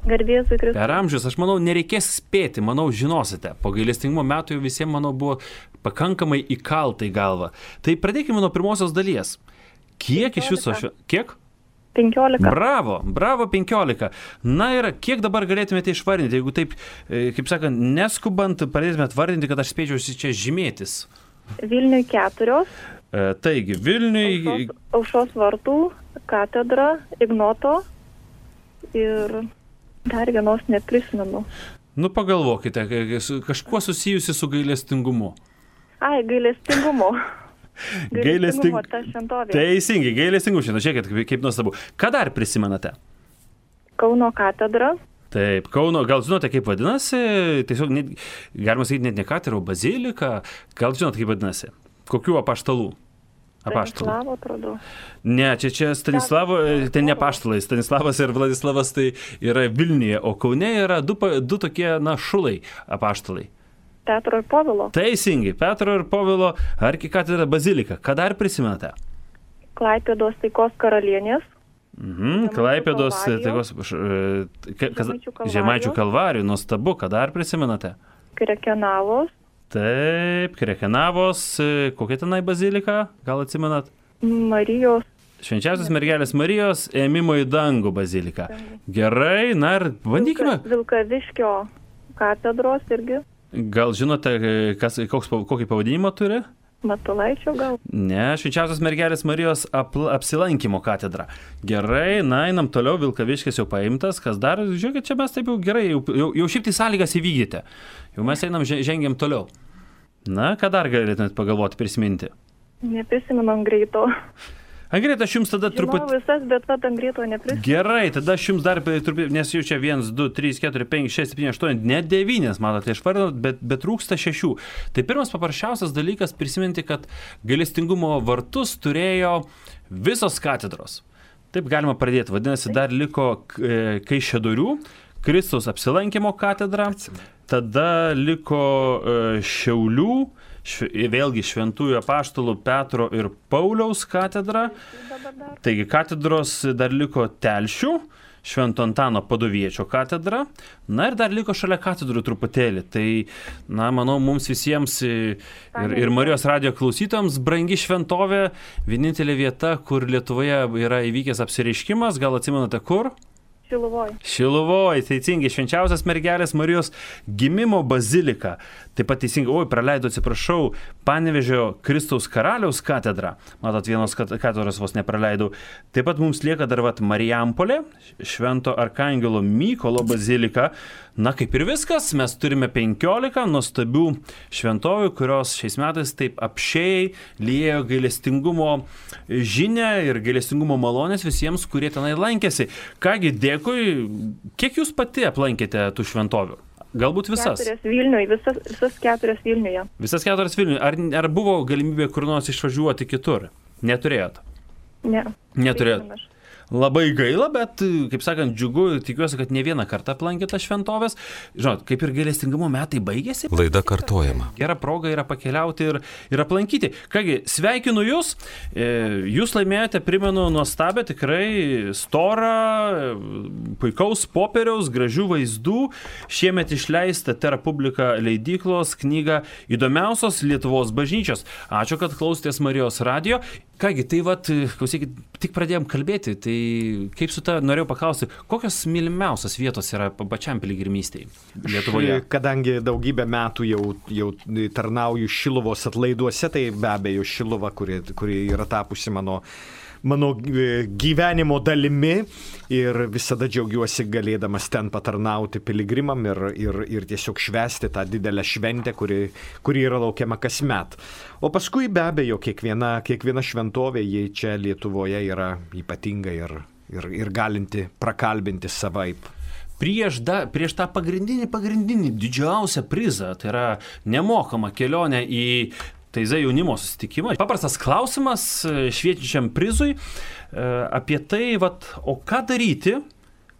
Garbės Kristus. Per amžius, aš manau, nereikės spėti, manau, žinosite. Po gailestingumo metų jau visiems, manau, buvo pakankamai įkalta į galvą. Tai pradėkime nuo pirmosios dalies. Kiek 15. Iš viso Kiek? 15. Bravo 15. Na ir kiek dabar galėtumėte išvardinti, jeigu taip, kaip sakant, neskubant, pradėtumėte vardinti, kad aš spėčiausi čia žymėtis. Vilniui 4. Taigi, Vilniui... Aušros vartų, katedra, Ignoto ir... Dar vienos neprisimenu. Nu, pagalvokite, kažkuo susijusi su gailestingumu. Ai, gailestingumu. Gailestingumu ta šventovė. Teisingai, gailestingumu šiandien. Žiūrėkit, kaip nuostabu. Ką dar prisimenate? Kauno katedra. Taip, Kauno, gal žinote, kaip vadinasi? Tiesiog, galima sakyti, net ne katedra, o bazilika. Gal žinote, kaip vadinasi? Kokių apaštalų? Stanislavo, atrodo. Ne, čia Stanislavo, tai ne apaštalai. Stanislavas ir Vladislavas tai yra Vilniuje, o Kaune yra du tokie, na, šulai apaštalai. Petro ir Povilo. Teisingai, Petro ir Povilo arkikatedra bazilika. Ką dar prisimenate? Klaipėdos taikos karalienės. Klaipėdos taikos... Žemaičių kalvarijų, nuostabu. Ką dar prisimenate? Krekenavos. Taip, Krekenavos, kokia tenai bazilika, gal atsimenat? Marijos. Švenčiausios mergelės Marijos ėmimo į dangų bazilika. Gerai, na ir bandykime. Vilkaviškio katedros irgi. Gal žinote, kokį pavadinimą turi? Matulaičio gal? Ne, Švenčiausios mergelės Marijos apsilankimo katedra. Gerai, na, einam toliau, Vilkaviškis jau paimtas, kas dar, žiūrėkit, čia mes taip jau gerai, jau šiaip tai sąlygas įvykdėte. Jau mes einam, žengiam toliau. Na, ką dar galėtumėt pagalvoti, prisiminti? Neprisimenam greito. Angrėta, aš jums tada Žinau visas, bet vat Angrėto neprisimenu. Gerai, tada aš jums dar truputį, nes jau čia 1, 2, 3, 4, 5, 6, 7, 8, net 9, matote, išvardinot, bet trūksta 6. Tai pirmas paprasčiausias dalykas prisiminti, kad gailestingumo vartus turėjo visos katedros. Taip galima pradėti. Vadinasi, dar liko Kaišiadorių, Kristaus apsilankimo katedra, tada liko Šiaulių, vėlgi Šventųjų apaštalų Petro ir Pauliaus katedra. Taigi katedros dar liko Telšių, Švento Antano Padoviečio katedra. Na ir dar liko šalia katedrų truputėlį. Tai, na, manau, mums visiems ir Marijos radijo klausytojams brangi šventovė, vienintelė vieta, kur Lietuvoje yra įvykęs apsireiškimas. Gal atsimenate kur? Šiluvoj, teisingai, švenčiausias mergelės Marijos gimimo bazilika. Taip pat teisingai, praleidau, atsiprašau, Panevėžio Kristaus karaliaus katedra. Matot, vienos katedros vos nepraleidau. Taip pat mums lieka dar Marijampolė, Švento Arkangelo Mykolo bazilika. Na, kaip ir viskas, mes turime 15 nuostabių šventovių, kurios šiais metais taip apšiai liejo gailestingumo žinią ir gailestingumo malonės visiems, kurie tenai lankėsi. Kągi, dėkui. Kiek jūs pati aplankėte tų šventovių? Galbūt visas? 4 Vilniuje, visas 4 Vilniuje. Visas 4 Vilniuje. Ar buvo galimybė kur nors išvažiuoti kitur? Neturėjot? Ne. Neturėjot. Labai gaila, bet, kaip sakant, džiugu, tikiuosi, kad ne vieną kartą aplankėte šventovės. Žinot, kaip ir gailestingumo metai baigėsi. Laida kartojama. Gera proga yra pakeliauti ir aplankyti. Kągi, sveikinu jūs. Jūs laimėjote, primenu, nuostabę, tikrai storą, puikaus popieriaus, gražių vaizdų. Šiemet išleista Terra Publica leidyklos knyga Įdomiausios Lietuvos bažnyčios. Ačiū, kad klausėtės Marijos radijo. Kągi, tai klausykit, tik pradėjom kalbėti, tai kaip su ta, norėjau paklausti, kokios mylimiausios vietos yra pačiam piligrimystėje Lietuvoje? Kadangi daugybę metų jau tarnauju Šiluvos atlaiduose, tai be abejo Šiluva, kuri yra tapusi mano gyvenimo dalimi ir visada džiaugiuosi galėdamas ten patarnauti piligrimam ir tiesiog švęsti tą didelę šventę, kuri yra laukiama kasmet. O paskui be abejo kiekviena šventovė, jie čia Lietuvoje yra ypatinga ir galinti prakalbinti savaip. Prieš tą pagrindinį didžiausią prizą, tai yra nemokama kelionė į Taizai jaunimo susitikimą. Paprastas klausimas šviečiančiam prizui apie tai, o ką daryti,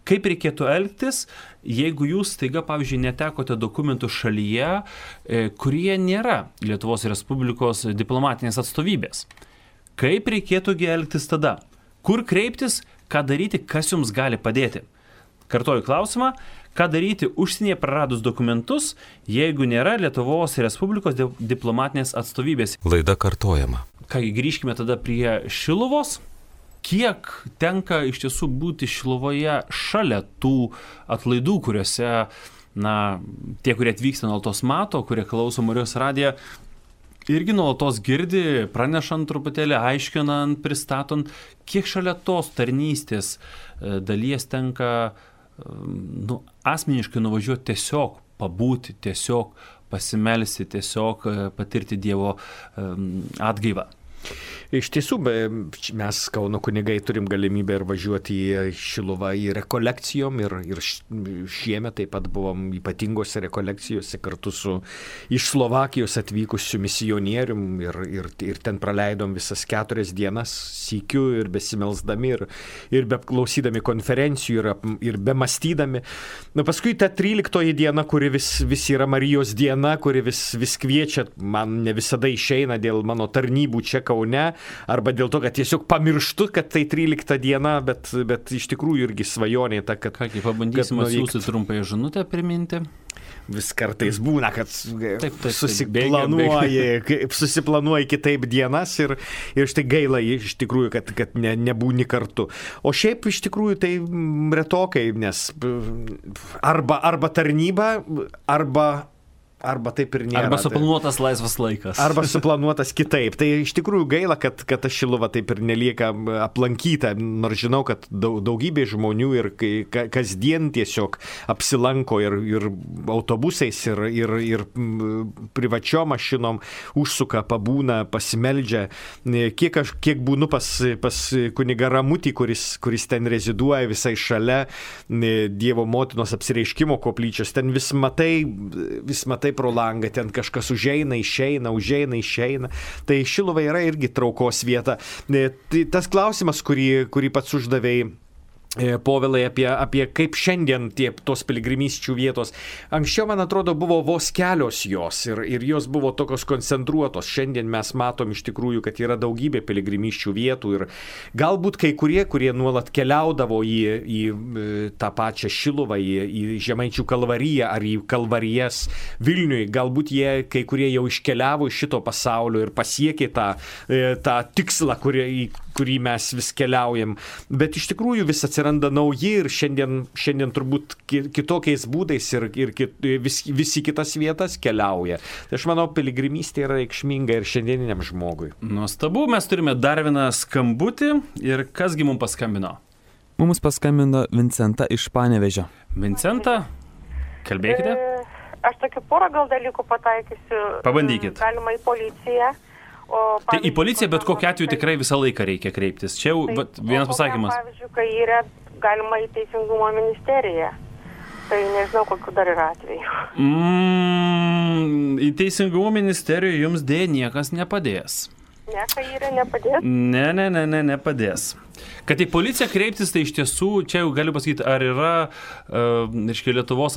kaip reikėtų elgtis, jeigu jūs staiga, pavyzdžiui, netekote dokumentų šalyje, kurie nėra Lietuvos Respublikos diplomatinės atstovybės. Kaip reikėtų elgtis tada? Kur kreiptis, ką daryti, kas jums gali padėti? Kartoju klausimą. Ką daryti užsienyje praradus dokumentus, jeigu nėra Lietuvos Respublikos diplomatinės atstovybės? Laida kartojama. Kągi, grįžkime tada prie Šiluvos. Kiek tenka iš tiesų būti Šiluvoje šalia tų atlaidų, kuriuose, tie, kurie atvyksta nuolatos mato, kurie klauso Marijos radiją, irgi nuolatos girdi, pranešant truputėlį, aiškinant, pristatant, kiek šalia tos tarnystės dalies tenka asmeniškai nuvažiuoti, tiesiog pabūti, tiesiog pasimelsti, tiesiog patirti Dievo atgaivą. Iš tiesų, mes Kauno kunigai turim galimybę ir važiuoti į Šiluvą į rekolekcijom ir šiemet taip pat buvom ypatingose rekolekcijose kartu su iš Slovakijos atvykusiu misionierium ir ten praleidom visas 4 dienas sykiu ir besimelsdami ir beklausydami konferencijų ir bemastydami. Paskui ta 13 diena, kuri vis yra Marijos diena, kuri vis kviečia, man ne visada išeina dėl mano tarnybų čia Kaune, arba dėl to, kad tiesiog pamirštu, kad tai 13 diena, bet iš tikrųjų irgi svajonė ta, kad... Kągi, pabandysim atsiųsti trumpąją žinutę priminti. Vis kartais būna, kad susiplanuoji kitaip dienas ir štai gaila iš tikrųjų, kad nebūni kartu. O šiaip iš tikrųjų tai retokai, nes arba tarnyba, arba Arba taip ir nėra. Arba suplanuotas laisvas laikas. Arba suplanuotas kitaip. Tai iš tikrųjų gaila, kad ta Šiluva taip ir nelieka aplankyta, nors žinau, kad daugybė žmonių ir kasdien tiesiog apsilanko ir autobusais, ir privačiom mašinom užsuka, pabūna, pasimeldžia. Kiek būnu pas kunigą Ramutį, kuris ten reziduoja visai šalia Dievo motinos apsireiškimo koplyčios, ten vis matai pro langą, ten kažkas užeina, išeina. Tai Šiluva yra irgi traukos vieta. Tai tas klausimas, kurį pats uždavėjai, Povilai, apie kaip šiandien tos piligrimysčių vietos. Anksčiau, man atrodo, buvo vos kelios jos ir jos buvo tokios koncentruotos. Šiandien mes matom iš tikrųjų, kad yra daugybė piligrimysčių vietų ir galbūt kai kurie nuolat keliaudavo į tą pačią Šiluvą, į Žemaičių kalvariją ar į kalvarijas Vilniui. Galbūt kai kurie jau iškeliavo iš šito pasaulio ir pasiekė tą tikslą, kurį mes vis keliaujam. Bet iš tikrųjų vis atsiranda nauji ir šiandien turbūt kitokiais būdais ir visi kitas vietas keliauja. Tai aš manau, piligrimystė yra reikšminga ir šiandieniniam žmogui. Nuostabu, mes turime dar vieną skambutį ir kasgi mums paskambino? Mums paskambino Vincenta iš Panevėžio. Vincenta, kalbėkite. Aš tokių porą gal dalykų pataikysiu. Pabandykit. Galima į policiją. Tai į policiją bet kokiu atveju tikrai visą laiką reikia kreiptis. Čia jau vienas pasakymas. Pavyzdžiui, kai yra galima į Teisingumo ministeriją. Tai nežinau, kokiu dar yra atveju. Į Teisingumo ministeriją jums dėja niekas nepadės. Ne, kai yra nepadės? Ne, nepadės. Kad į policiją kreiptis, tai iš tiesų, čia jau galiu pasakyti, ar yra Lietuvos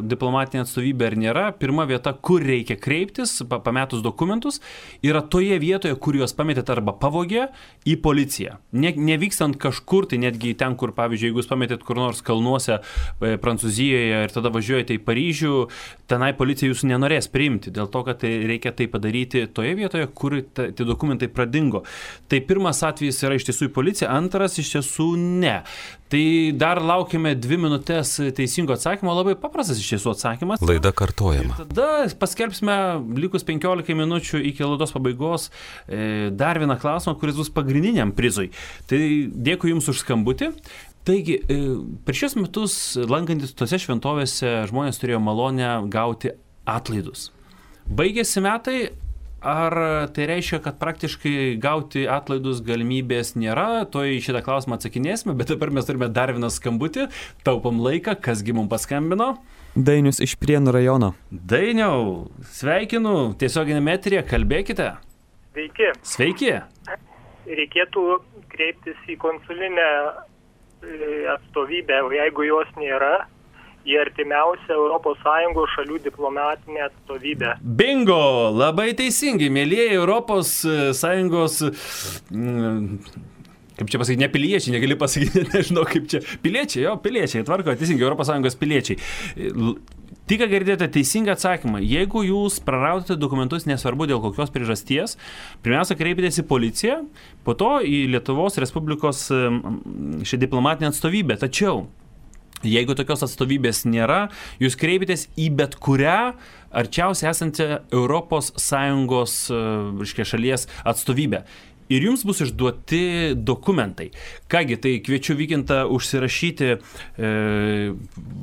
diplomatinė atstovybė ar nėra. Pirma vieta, kur reikia kreiptis, pametus dokumentus, yra toje vietoje, kur juos pametėt arba pavogė, į policiją. Nevykstant kažkur, tai netgi ten, kur, pavyzdžiui, jeigu jūs pametėt kur nors kalnuose Prancūzijoje ir tada važiuojate į Paryžių, tenai policija jūsų nenorės priimti, dėl to, kad reikia tai padaryti toje vietoje, kur tie dokumentai pradingo. Tai pirmas atvejis yra iš tiesų į policiją, antras iš tiesų ne. Tai dar laukime 2 minutės teisingo atsakymo, labai paprastas iš tiesų atsakymas. Laida kartojama. Ir tada paskelbsime likus 15 minučių iki laidos pabaigos dar vieną klausimą, kuris bus pagrindiniam prizui. Tai dėkui Jums už skambutį. Taigi, per šios metus lankantis tose šventovėse žmonės turėjo malonę gauti atlaidus. Baigėsi metai. Ar tai reiškia, kad praktiškai gauti atlaidus galimybės nėra? To į šitą klausimą atsakinėsime, bet dabar mes turime dar vieną skambutį, taupom laiką, kasgi mums paskambino? Dainius iš Prienų rajono. Dainiau, sveikinu, tiesioginėme eteryje, kalbėkite. Sveiki. Reikėtų kreiptis į konsulinę atstovybę, o jeigu jos nėra, į artimiausią ES šalių diplomatinę atstovybę. Bingo! Labai teisingai, mėlyjeji ES, kaip čia pasakyti, ne piliečiai, negali pasakyti, nežinau kaip čia, piliečiai, tvarko, teisingai, ES piliečiai. Tik girdėjote teisingą atsakymą. Jeigu jūs praradote dokumentus, nesvarbu dėl kokios priežasties, pirmiausia, kreipitės į policiją, po to į Lietuvos Respublikos šią diplomatinę atstovybę. Tačiau jeigu tokios atstovybės nėra, jūs kreipitės į bet kurią arčiausiai esančią ES šalies atstovybę. Ir jums bus išduoti dokumentai. Kągi, tai kviečiu Vykintą užsirašyti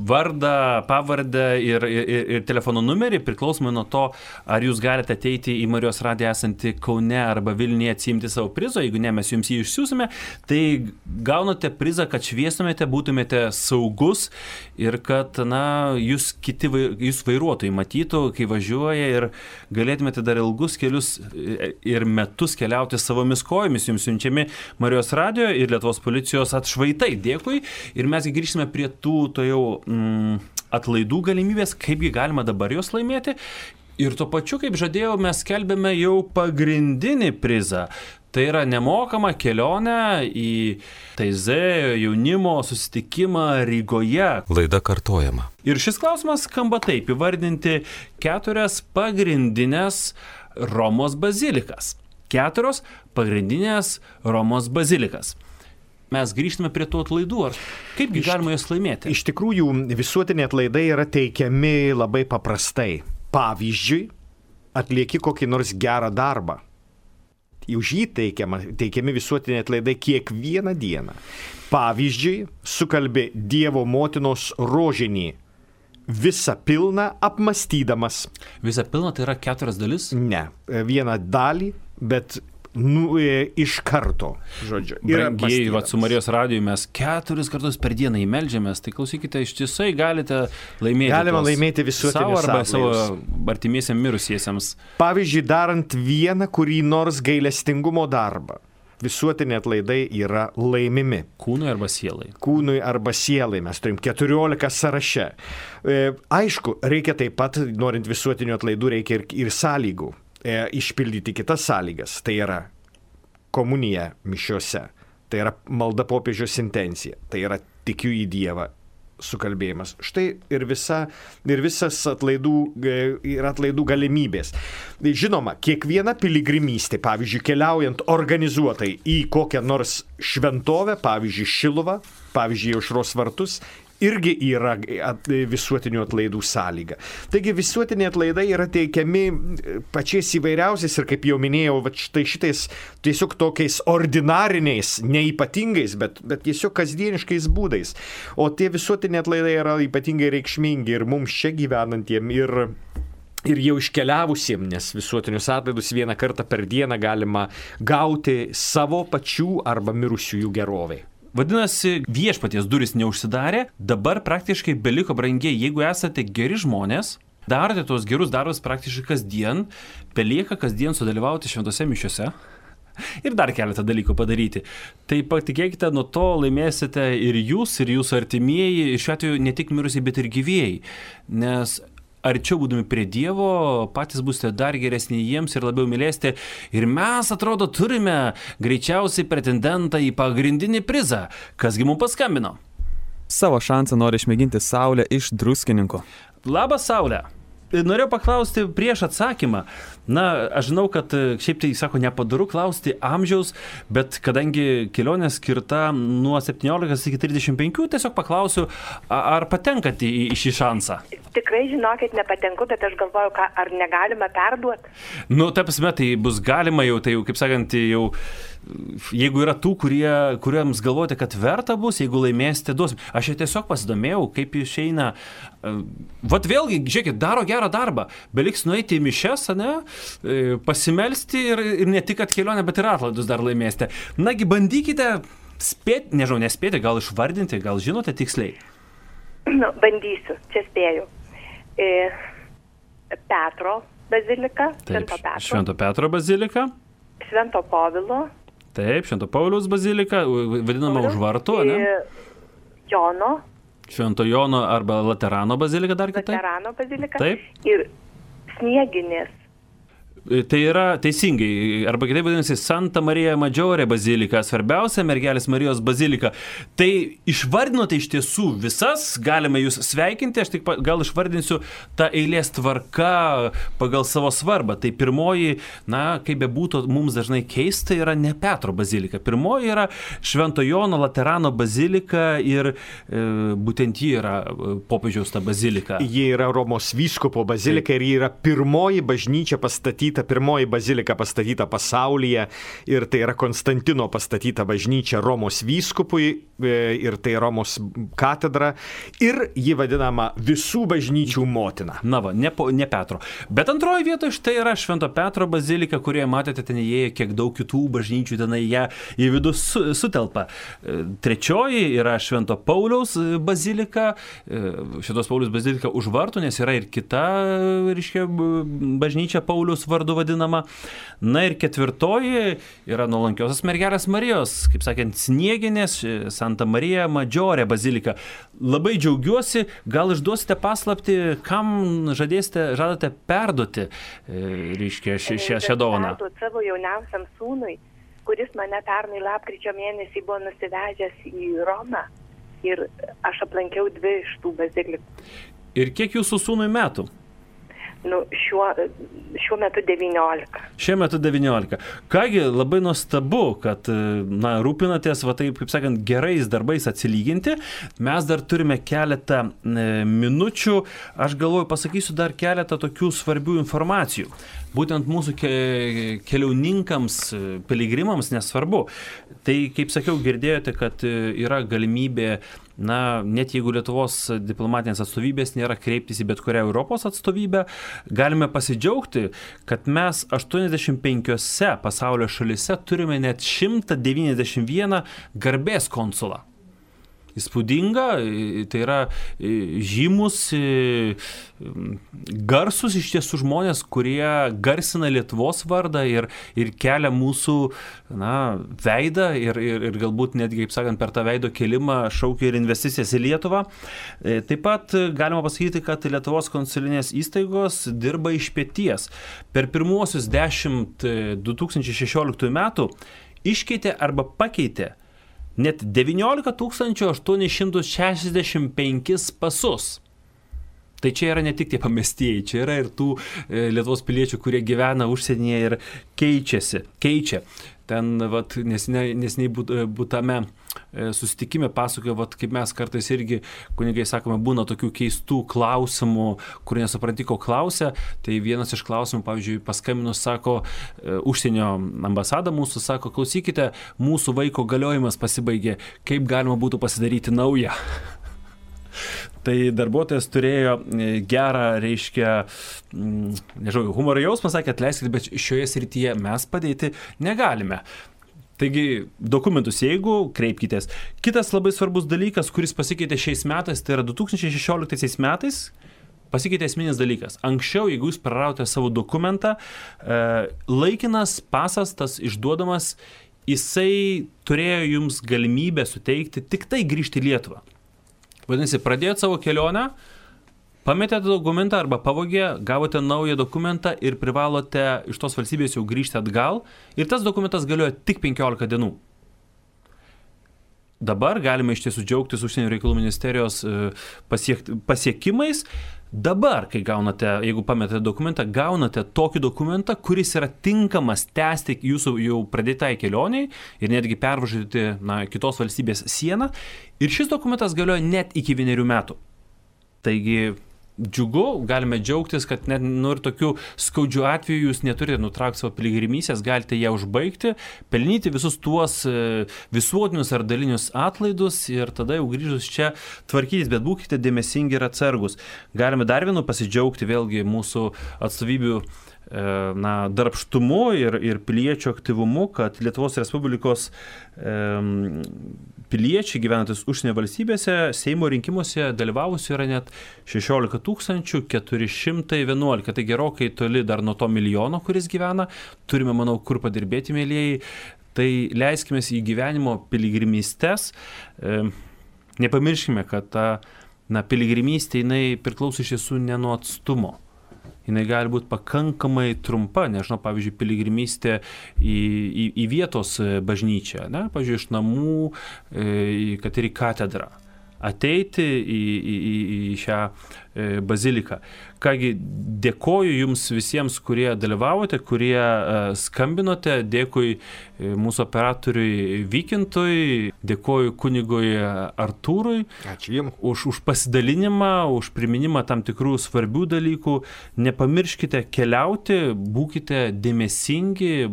vardą, pavardę ir telefono numerį, priklausomai nuo to, ar jūs galite ateiti į Marijos radiją esantį Kaune arba Vilniuje atsiimti savo prizo. Jeigu ne, mes jums jį išsiųsime, tai gaunate prizą, kad šviestumėte, būtumėte saugus ir kad, jūs vairuotojai matytų, kai važiuoja ir galėtumėte dar ilgus kelius ir metus keliauti savomis kojomis. Jums siunčiami Marijos radijo ir Lietuvos policijos atšvaitai. Dėkui. Ir mes grįžsime prie tų jau atlaidų galimybės, kaipgi galima dabar jos laimėti. Ir tuo pačiu, kaip žadėjau, mes skelbėme jau pagrindinį prizą. Tai yra nemokama kelionė į TZ jaunimo susitikimą Rygoje. Laida kartojama. Ir šis klausimas skamba taip: įvardinti 4 pagrindinės Romos bazilikas. 4 pagrindinės Romos bazilikas. Mes grįžtame prie tų atlaidų. Kaipgi galima jas laimėti? Iš tikrųjų, visuotiniai atlaidai yra teikiami labai paprastai. Pavyzdžiui, atlieki kokį nors gerą darbą. Už jį teikiami visuotiniai atlaidai kiekvieną dieną. Pavyzdžiui, sukalbi Dievo motinos rožinį, visą pilną apmastydamas. Visą pilną tai yra 4 dalis? Ne, vieną dalį, bet iš karto, žodžiu. Brangiai, su Marijos radiju mes 4 kartus per dieną įmeldžiamės, tai klausykite, ištisai galite laimėti. Galima laimėti visuotinius savo arba savo artimiesiams mirusiesiems. Pavyzdžiui, darant vieną kurį nors gailestingumo darbą. Visuotiniai atlaidai yra laimimi. Kūnui arba sielai? Kūnui arba sielai. Mes turim 14 sąraše. Aišku, reikia taip pat, norint visuotinių atlaidų, reikia ir sąlygų. Išpildyti kitas sąlygas. Tai yra komunija mišiose. Tai yra malda popiežiaus intencija. Tai yra tikiu į Dievą sukalbėjimas. Štai ir visas atlaidų galimybės. Žinoma, kiekviena piligrimystė, pavyzdžiui, keliaujant organizuotai į kokią nors šventovę, pavyzdžiui, Šiluvą, pavyzdžiui, Aušros vartus, irgi yra visuotinių atlaidų sąlyga. Taigi visuotiniai atlaidai yra teikiami pačiais įvairiausiais ir, kaip jau minėjau, štai šitais tiesiog tokiais ordinariniais, neypatingais, bet tiesiog kasdieniškais būdais. O tie visuotiniai atlaidai yra ypatingai reikšmingi ir mums čia gyvenantiem, ir jau iškeliavusiem, nes visuotinius atlaidus vieną kartą per dieną galima gauti savo pačių arba mirusiųjų gerovei. Vadinasi, viešpaties duris neužsidarė, dabar praktiškai beliko, brangiai, jeigu esate geri žmonės, darote tos gerus darbus praktiškai kasdien, belieka kasdien sudalyvauti šventose mišiose ir dar keletą dalykų padaryti. Tai patikėkite, nuo to laimėsite ir jūs, ir jūsų artimieji, šiuo atveju ne tik mirusiai, bet ir gyvieji, nes arčiau būdami prie Dievo, patys būsite dar geresni jiems ir labiau mylėsite. Ir mes, atrodo, turime greičiausiai pretendentą į pagrindinį prizą. Kasgi mums paskambino? Savo šansą nori išmėginti Saulė iš Druskininkų. Labas, Saulė. Norėjau paklausti prieš atsakymą. Na, aš žinau, kad šiaip tai, sako, nepadaru klausti amžiaus, bet kadangi kelionė skirta nuo 17 iki 35, tiesiog paklausiu, ar patenkate į šį šansą? Tikrai, žinokit, nepatenku, bet aš galvoju, ar negalima perduoti. Nu, ta prasme, tai bus galima jau, tai jau, kaip sakant, jau... Jeigu yra tų, kuriems galvojate, kad verta bus, jeigu laimėsite, duosim. Aš jau tiesiog pasidomėjau, kaip išeina. Vat vėlgi, žiūrėkit, daro gerą darbą. Beliks nueiti į mišes, ne? Pasimelsti ir ne tik kad kelionę, bet ir atlaidus dar laimėsite. Nagi, bandykite spėti, nežinau, nespėti, gal išvardinti, gal žinote tiksliai. Nu, bandysiu, čia spėju. Petro bazilika. Taip, Švento Petro bazilika. Švento Povilo. Taip, Švento Pauliaus bazilika, vadinama už vartų, ne? Jono. Švento Jono arba Laterano bazilika dar kitaip? Laterano bazilika. Taip. Ir Snieginės. Tai yra teisingai, arba kitaip vadinasi Santa Marija Maggiore bazilika, svarbiausia mergelės Marijos bazilika. Tai išvardinote iš tiesų visas, galime jūs sveikinti, aš tik gal išvardinsiu tą eilės tvarką pagal savo svarbą. Tai pirmoji, na, kaip bebūtų, mums dažnai keista, yra ne Petro bazilika. Pirmoji yra Švento Jono Laterano bazilika ir būtent ji yra popiežiaus ta bazilika. Ji yra Romos vyskupo bazilika ir ji yra pirmoji bažnyčia pastatyta, pirmoji bazilika pastatyta pasaulyje ir tai yra Konstantino pastatyta bažnyčia Romos vyskupui ir tai Romos katedra ir ji vadinama visų bažnyčių motina. Na va, ne Petro. Bet antroji vietoje štai yra Švento Petro bazilika, kurioje matėte ten įėję, kiek daug kitų bažnyčių ten ją į vidų sutelpa. Trečioji yra Švento Pauliaus bazilika, Šventos Pauliaus bazilika už vartų, nes yra ir kita, reiškia, bažnyčia Pauliaus vardu vadinama. Na ir ketvirtoji yra nuolankiosios mergelės Marijos, kaip sakant, Snieginės, Santa Marija Maggiore bazilika. Labai džiaugiuosi, gal išduosite paslaptį, kam žadate perduoti, reiškia, šią dovaną. Perduoti savo jauniausiam sūnui, kuris mane pernai lapkričio mėnesį buvo nusivežęs į Romą ir aš aplankiau 2 iš tų bazilikų. Ir kiek jūsų sūnui metų? Šiuo metu 19. Šiuo metu 19. Kągi, labai nuostabu, kad rūpinatės, taip, kaip sakant, gerais darbais atsilyginti. Mes dar turime keletą minučių. Aš galvoju, pasakysiu dar keletą tokių svarbių informacijų. Būtent mūsų keliauninkams, piligrimams nesvarbu. Tai, kaip sakiau, girdėjote, kad yra galimybė, net jeigu Lietuvos diplomatinės atstovybės nėra, kreiptis į bet kurią Europos atstovybę, galime pasidžiaugti, kad mes 85 pasaulio šalyse turime net 191 garbės konsulą. Įspūdinga, tai yra žymus, garsus iš tiesų žmonės, kurie garsina Lietuvos vardą ir kelia mūsų veidą ir galbūt netgi, kaip sakant, per tą veido kelimą šaukia ir investicijas į Lietuvą. Taip pat galima pasakyti, kad Lietuvos konsulinės įstaigos dirba iš peties. Per pirmuosius 2016 metų iškeitė arba pakeitė net 19 865 pasus. Tai čia yra ne tik tie pamestieji, čia yra ir tų Lietuvos piliečių, kurie gyvena užsienyje ir keičia. Ten nesiniai būtame susitikime pasakojo, kaip mes kartais irgi, kunigai sakome, būna tokių keistų klausimų, kur nesupranti, ko klausia. Tai vienas iš klausimų, pavyzdžiui, paskambinus, sako, užsienio ambasada mūsų, sako, klausykite, mūsų vaiko galiojimas pasibaigė, kaip galima būtų pasidaryti naują. Tai darbuotojas turėjo gerą, humoro jausmą, sakė, atleiskite, bet šioje srityje mes padėti negalime. Taigi, dokumentus, jeigu kreipkitės. Kitas labai svarbus dalykas, kuris pasikeitė šiais metais, tai yra 2016 metais, pasikeitė esminis dalykas. Anksčiau, jeigu jūs praradote savo dokumentą, laikinas pasas, tas išduodamas, jisai turėjo jums galimybę suteikti tik tai grįžti į Lietuvą. Vadinasi, pradėjote savo kelionę, pametėte dokumentą arba pavogė, gavote naują dokumentą ir privalote iš tos valstybės jau grįžti atgal ir tas dokumentas galioja tik 15 dienų. Dabar galime iš tiesų džiaugtis Užsienio reikalų ministerijos pasiekimais. Dabar, kai gaunate, jeigu pametėte dokumentą, gaunate tokį dokumentą, kuris yra tinkamas tęsti jūsų jau pradėtai kelioniai ir netgi pervažiuoti kitos valstybės sieną. Ir šis dokumentas galioja net iki 1 metų. Taigi, džiugu, galime džiaugtis, kad net ir tokių skaudžių atvejų jūs neturite nutraukti savo piligrimystės, galite ją užbaigti, pelnyti visus tuos visuotinius ar dalinius atlaidus ir tada jau grįžus čia tvarkytis, bet būkite dėmesingi ir atsargus. Galime dar vienu pasidžiaugti vėlgi mūsų atstovybių darbštumu ir piliečių aktyvumu, kad Lietuvos Respublikos piliečiai gyvenantis užsienio valstybėse Seimo rinkimuose dalyvavusių yra net 16 411. Tai gerokai toli dar nuo to milijono, kuris gyvena. Turime, manau, kur padirbėti, mėlėjai. Tai leiskime į gyvenimo piligrimystes. Nepamirškime, kad ta piligrimystė jinai priklauso iš tiesų ne nuo atstumo. Jinai gali būti pakankamai trumpa, nežinau, pavyzdžiui, piligrimystė į vietos bažnyčią, pavyzdžiui, iš namų, kad ir į katedrą. Ateiti į šią baziliką. Kągi, dėkoju jums visiems, kurie dalyvavote, kurie skambinote, dėkui mūsų operatoriui Vykintui, dėkoju kunigui Artūrui. Ačiū jums. Už pasidalinimą, už priminimą tam tikrų svarbių dalykų. Nepamirškite keliauti, būkite dėmesingi,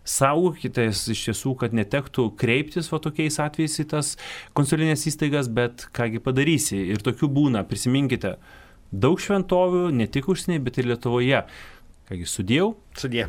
saugokitės iš tiesų, kad netektų kreiptis tokiais atvejais į tas konsulinės įstaigas, bet kągi padarysi. Ir tokių būna, prisiminkite, daug šventovių, ne tik užsienyje, bet ir Lietuvoje. Kągi, sudiev. Sudie.